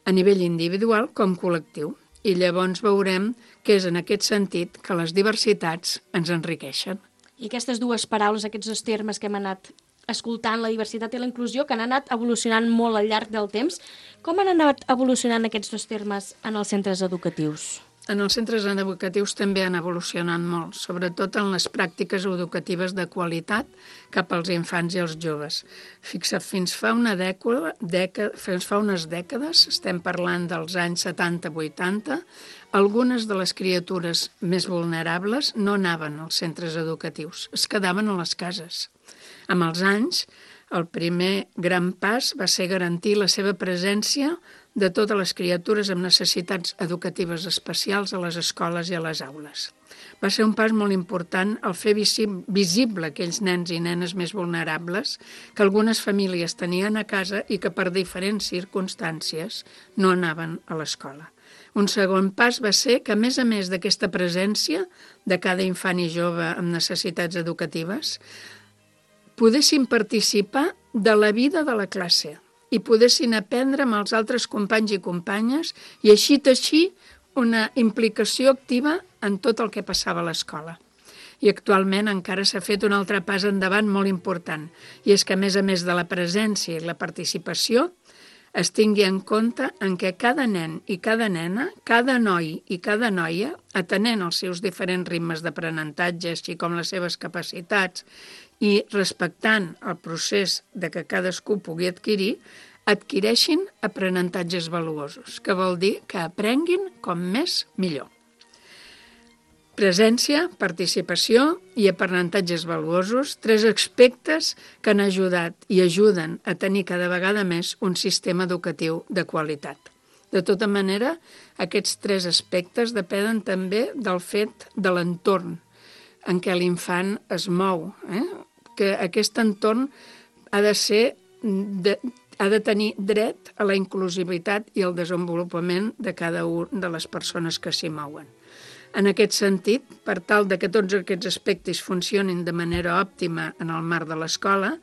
a nivell individual com col·lectiu. I llavors veurem que és en aquest sentit que les diversitats ens enriqueixen. I aquestes dues paraules, aquests dos termes que hem anat escoltant, la diversitat i la inclusió, que han anat evolucionant molt al llarg del temps, com han anat evolucionant aquests dos termes en els centres educatius? En els centres educatius també han evolucionat molt, sobretot en les pràctiques educatives de qualitat cap als infants i als joves. Fixa't, fins fa, una dècada, dècada, fins fa unes dècades, estem parlant dels anys setanta vuitanta, algunes de les criatures més vulnerables no anaven als centres educatius, es quedaven a les cases. Amb els anys, el primer gran pas va ser garantir la seva presència de totes les criatures amb necessitats educatives especials a les escoles i a les aules. Va ser un pas molt important el fer visible aquells nens i nenes més vulnerables que algunes famílies tenien a casa i que per diferents circumstàncies no anaven a l'escola. Un segon pas va ser que, a més a més d'aquesta presència de cada infant i jove amb necessitats educatives, poguessin participar de la vida de la classe, i poguessin aprendre amb els altres companys i companyes i així teixir una implicació activa en tot el que passava a l'escola. I actualment encara s'ha fet un altre pas endavant molt important, i és que a més a més de la presència i la participació, es tingui en compte en què cada nen i cada nena, cada noi i cada noia, atenent els seus diferents ritmes d'aprenentatge, així com les seves capacitats, i respectant el procés de que cadascú pugui adquirir, adquireixin aprenentatges valuosos, que vol dir que aprenguin com més millor. Presència, participació i aprenentatges valuosos, tres aspectes que han ajudat i ajuden a tenir cada vegada més un sistema educatiu de qualitat. De tota manera, aquests tres aspectes depenen també del fet de l'entorn en què l'infant es mou, eh? Que aquest entorn ha de ser de, ha de tenir dret a la inclusivitat i al desenvolupament de cada una de les persones que s'hi mouen. En aquest sentit, per tal de que tots aquests aspectes funcionin de manera òptima en el marc de l'escola,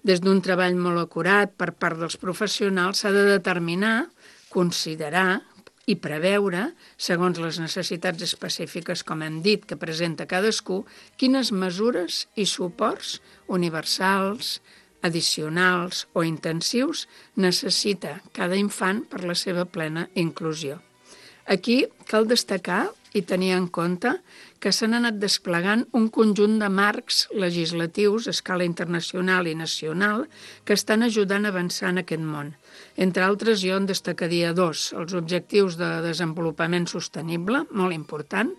des d'un treball molt acurat per part dels professionals s'ha de determinar, considerar i preveure, segons les necessitats específiques, com hem dit, que presenta cadascú, quines mesures i suports universals, addicionals o intensius necessita cada infant per la seva plena inclusió. Aquí cal destacar i tenir en compte que s'han anat desplegant un conjunt de marcs legislatius a escala internacional i nacional que estan ajudant a avançar en aquest món. Entre altres, jo en destacaria dos, els Objectius de Desenvolupament Sostenible, molt important,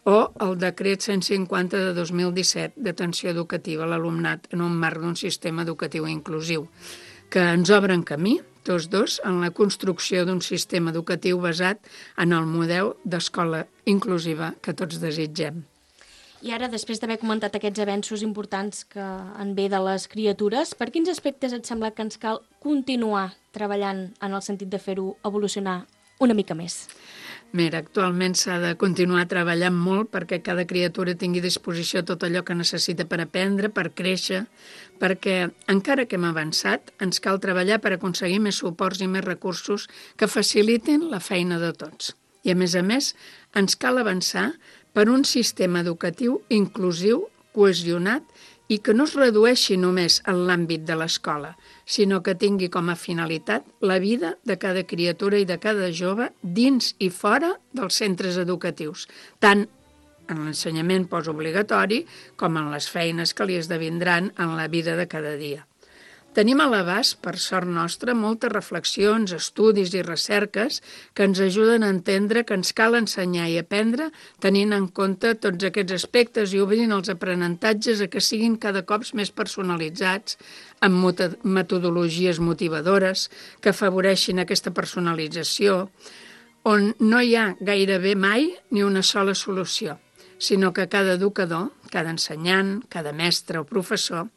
o el Decret cent cinquanta de dos mil disset d'atenció educativa a l'alumnat en un marc d'un sistema educatiu inclusiu, que ens obren camí, tots dos, en la construcció d'un sistema educatiu basat en el model d'escola inclusiva que tots desitgem. I ara, després d'haver comentat aquests avenços importants que en ve de les criatures, per quins aspectes et sembla que ens cal continuar treballant en el sentit de fer-ho evolucionar una mica més? Mira, actualment s'ha de continuar treballant molt perquè cada criatura tingui a disposició tot allò que necessita per aprendre, per créixer, perquè encara que hem avançat, ens cal treballar per aconseguir més suports i més recursos que facilitin la feina de tots. I a més a més, ens cal avançar per un sistema educatiu inclusiu, cohesionat i que no es redueixi només en l'àmbit de l'escola, sinó que tingui com a finalitat la vida de cada criatura i de cada jove dins i fora dels centres educatius, tant en l'ensenyament postobligatori com en les feines que li esdevindran en la vida de cada dia. Tenim a l'abast, per sort nostra, moltes reflexions, estudis i recerques que ens ajuden a entendre que ens cal ensenyar i aprendre tenint en compte tots aquests aspectes i obrint els aprenentatges a que siguin cada cop més personalitzats, amb metodologies motivadores que afavoreixin aquesta personalització, on no hi ha gairebé mai ni una sola solució, sinó que cada educador, cada ensenyant, cada mestre o professor,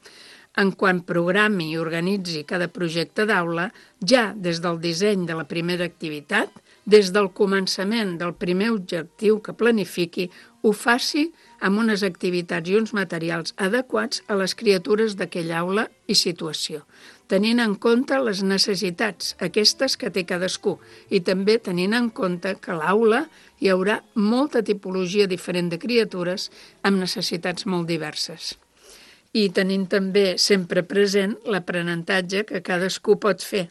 en quan programi i organitzi cada projecte d'aula, ja des del disseny de la primera activitat, des del començament del primer objectiu que planifiqui, ho faci amb unes activitats i uns materials adequats a les criatures d'aquella aula i situació, tenint en compte les necessitats, aquestes que té cadascú, i també tenint en compte que a l'aula hi haurà molta tipologia diferent de criatures amb necessitats molt diverses. I tenint també sempre present l'aprenentatge que cadascú pot fer,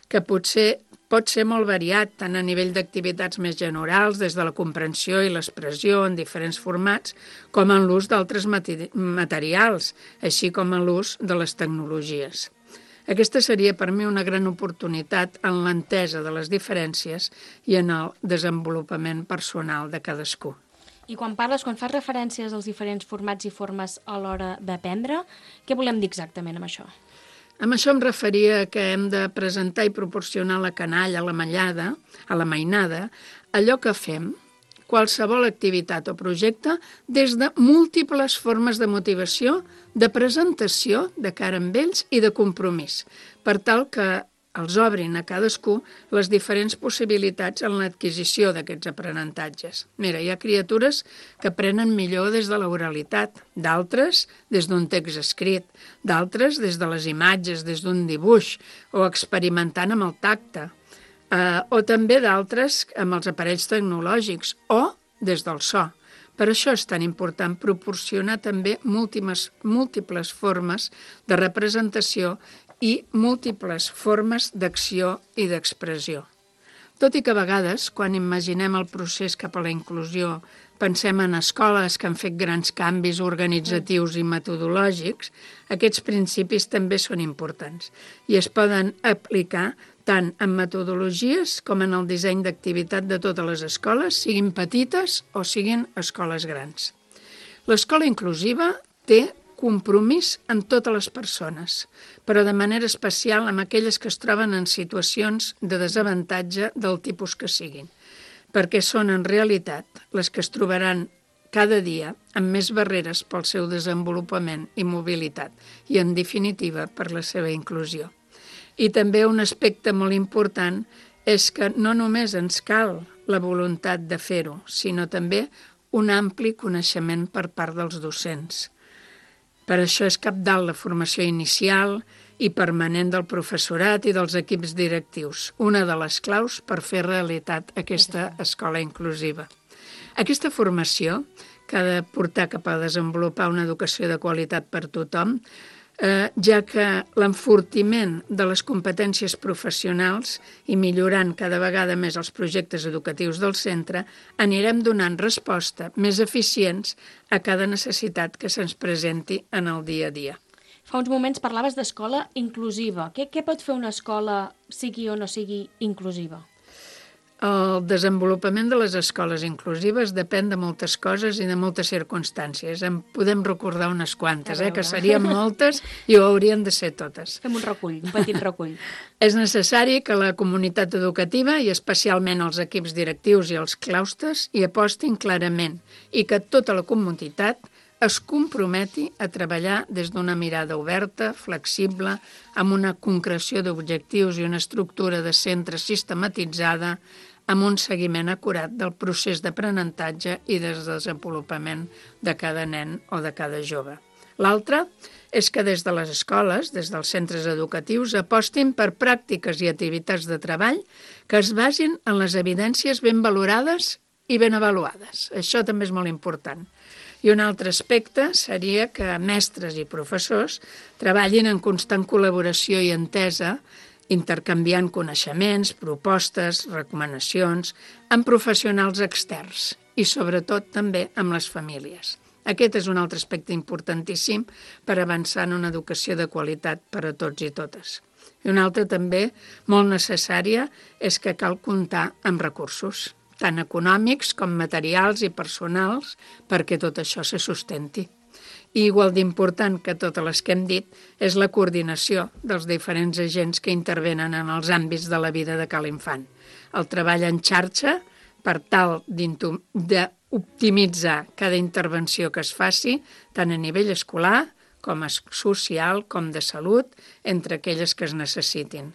que potser pot ser molt variat tant a nivell d'activitats més generals, des de la comprensió i l'expressió en diferents formats, com en l'ús d'altres materials, així com en l'ús de les tecnologies. Aquesta seria per mi una gran oportunitat en l'entesa de les diferències i en el desenvolupament personal de cadascú. I quan parles, quan fas referències als diferents formats i formes a l'hora d'aprendre, què volem dir exactament amb això? Amb això em referia que hem de presentar i proporcionar a la canalla, a la mallada, a la mainada, allò que fem, qualsevol activitat o projecte, des de múltiples formes de motivació, de presentació de cara amb ells i de compromís, per tal que els obrin a cadascú les diferents possibilitats en l'adquisició d'aquests aprenentatges. Mira, hi ha criatures que aprenen millor des de l'oralitat, d'altres des d'un text escrit, d'altres des de les imatges, des d'un dibuix, o experimentant amb el tacte, eh, o també d'altres amb els aparells tecnològics, o des del so. Per això és tan important proporcionar també múltiples, múltiples formes de representació i múltiples formes d'acció i d'expressió. Tot i que a vegades, quan imaginem el procés cap a la inclusió, pensem en escoles que han fet grans canvis organitzatius i metodològics, aquests principis també són importants i es poden aplicar tant en metodologies com en el disseny d'activitat de totes les escoles, siguin petites o siguin escoles grans. L'escola inclusiva té compromís en totes les persones, però de manera especial amb aquelles que es troben en situacions de desavantatge del tipus que siguin, perquè són en realitat les que es trobaran cada dia amb més barreres pel seu desenvolupament i mobilitat i, en definitiva, per la seva inclusió. I també un aspecte molt important és que no només ens cal la voluntat de fer-ho, sinó també un ampli coneixement per part dels docents. Per això és cabdal la formació inicial i permanent del professorat i dels equips directius, una de les claus per fer realitat aquesta escola inclusiva. Aquesta formació, que ha de portar cap a desenvolupar una educació de qualitat per tothom, Eh, ja que l'enfortiment de les competències professionals i millorant cada vegada més els projectes educatius del centre, anirem donant resposta més eficients a cada necessitat que se'ns presenti en el dia a dia. Fa uns moments parlaves d'escola inclusiva. Què, què pot fer una escola, sigui o no sigui inclusiva? El desenvolupament de les escoles inclusives depèn de moltes coses i de moltes circumstàncies. En podem recordar unes quantes, eh, que serien moltes i ho haurien de ser totes. Fem un recull, un petit recull. És necessari que la comunitat educativa i especialment els equips directius i els claustres hi apostin clarament i que tota la comunitat es comprometi a treballar des d'una mirada oberta, flexible, amb una concreció d'objectius i una estructura de centre sistematitzada, amb un seguiment acurat del procés d'aprenentatge i de desenvolupament de cada nen o de cada jove. L'altre és que des de les escoles, des dels centres educatius, apostin per pràctiques i activitats de treball que es basin en les evidències ben valorades i ben avaluades. Això també és molt important. I un altre aspecte seria que mestres i professors treballin en constant col·laboració i entesa, intercanviant coneixements, propostes, recomanacions, amb professionals externs i, sobretot, també amb les famílies. Aquest és un altre aspecte importantíssim per avançar en una educació de qualitat per a tots i totes. I una altra també molt necessària és que cal comptar amb recursos, tant econòmics com materials i personals, perquè tot això se sustenti. I igual d'important que totes les que hem dit és la coordinació dels diferents agents que intervenen en els àmbits de la vida de cada infant. El treball en xarxa per tal d'optimitzar cada intervenció que es faci, tant a nivell escolar com social, com de salut, entre aquelles que es necessitin.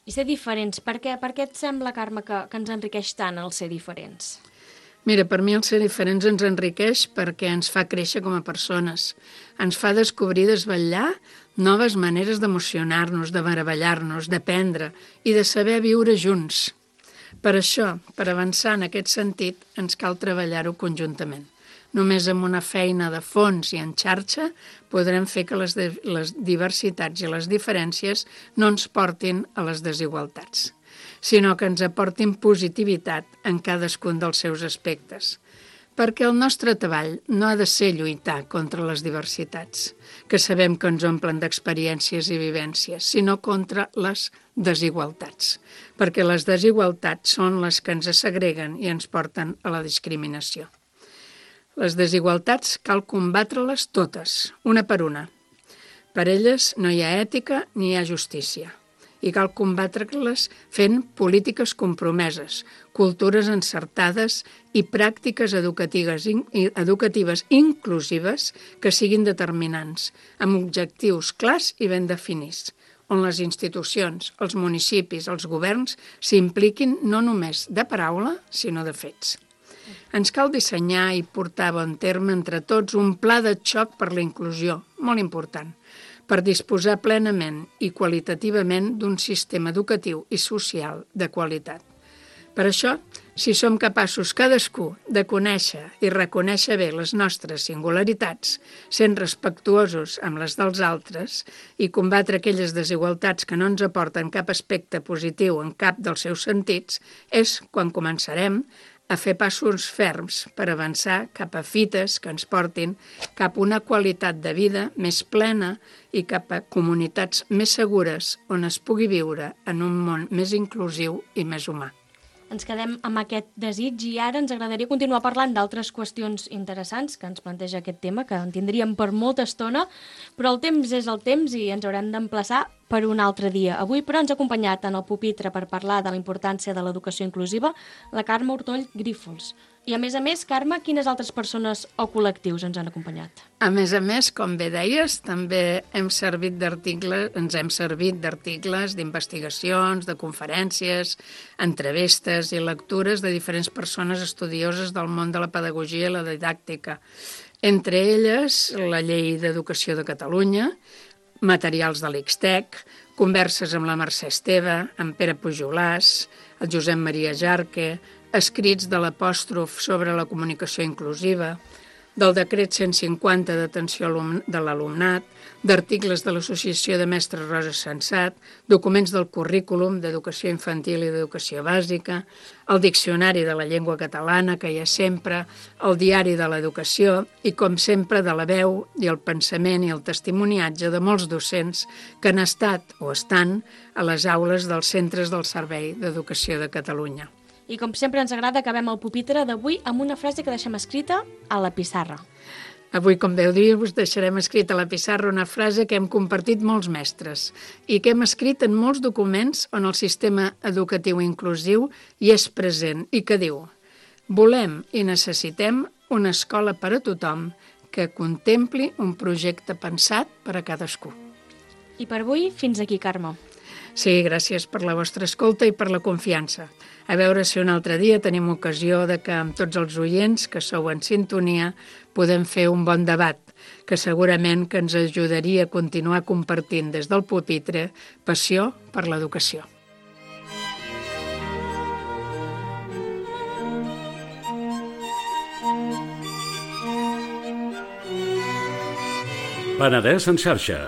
I ser diferents, per què, per què et sembla, Carme, que, que ens enriqueix tant el ser diferents? Mira, per mi el ser diferents ens enriqueix perquè ens fa créixer com a persones. Ens fa descobrir i desvetllar noves maneres d'emocionar-nos, de meravellar-nos, d'aprendre i de saber viure junts. Per això, per avançar en aquest sentit, ens cal treballar-ho conjuntament. Només amb una feina de fons i en xarxa podrem fer que les, de, les diversitats i les diferències no ens portin a les desigualtats, sinó que ens aportin positivitat en cadascun dels seus aspectes. Perquè el nostre treball no ha de ser lluitar contra les diversitats, que sabem que ens omplen d'experiències i vivències, sinó contra les desigualtats, perquè les desigualtats són les que ens segreguen i ens porten a la discriminació. Les desigualtats cal combatre-les totes, una per una. Per elles no hi ha ètica ni hi ha justícia. I cal combatre-les fent polítiques compromeses, cultures encertades i pràctiques educatives, educatives inclusives que siguin determinants, amb objectius clars i ben definits. on les institucions, els municipis, els governs s'impliquin no només de paraula, sinó de fets. Ens cal dissenyar i portar a bon terme entre tots un pla de xoc per la inclusió, molt important, per disposar plenament i qualitativament d'un sistema educatiu i social de qualitat. Per això, si som capaços cadascú de conèixer i reconèixer bé les nostres singularitats, sent respectuosos amb les dels altres i combatre aquelles desigualtats que no ens aporten cap aspecte positiu en cap dels seus sentits, és quan començarem a fer passos ferms per avançar cap a fites que ens portin cap a una qualitat de vida més plena i cap a comunitats més segures on es pugui viure en un món més inclusiu i més humà. Ens quedem amb aquest desig i ara ens agradaria continuar parlant d'altres qüestions interessants que ens planteja aquest tema, que en tindríem per molta estona, però el temps és el temps i ens haurem d'emplaçar per un altre dia. Avui, però, ens ha acompanyat en el pupitre per parlar de la importància de l'educació inclusiva la Carme Ortoll Grífols. I, a més a més, Carme, quines altres persones o col·lectius ens han acompanyat? A més a més, com bé deies, també hem servit d'articles, ens hem servit d'articles, d'investigacions, de conferències, entrevistes i lectures de diferents persones estudioses del món de la pedagogia i la didàctica. Entre elles, la Llei d'Educació de Catalunya, materials de l'Ixtec, converses amb la Mercè Esteve, amb Pere Pujolàs, el Josep Maria Jarque, escrits de l'apòstrof sobre la comunicació inclusiva, del decret cent cinquanta d'atenció de l'alumnat, d'articles de l'Associació de Mestres Rosa Sensat, documents del currículum d'educació infantil i d'educació bàsica, el diccionari de la llengua catalana, que hi ha sempre, el diari de l'educació i, com sempre, de la veu i el pensament i el testimoniatge de molts docents que han estat o estan a les aules dels centres del Servei d'Educació de Catalunya. I com sempre ens agrada, acabem el pupitre d'avui amb una frase que deixem escrita a la pissarra. Avui, com veu dir, us deixarem escrita a la pissarra una frase que hem compartit molts mestres i que hem escrit en molts documents on el sistema educatiu inclusiu hi és present i que diu: volem i necessitem una escola per a tothom que contempli un projecte pensat per a cadascú. I per avui, fins aquí, Carme. Sí, gràcies per la vostra escolta i per la confiança. A veure si un altre dia tenim ocasió de que amb tots els oients que sou en sintonia podem fer un bon debat, que segurament que ens ajudaria a continuar compartint des del pupitre passió per l'educació. Penedès en xarxa.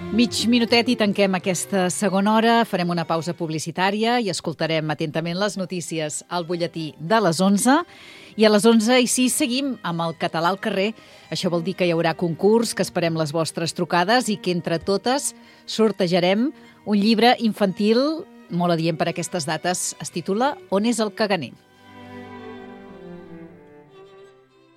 Mig minutet i tanquem aquesta segona hora, farem una pausa publicitària i escoltarem atentament les notícies al butlletí de les onze. I a les onze i sis seguim amb el català al carrer. Això vol dir que hi haurà concurs, que esperem les vostres trucades i que entre totes sortejarem un llibre infantil molt adient per aquestes dates. Es titula On és el caganer?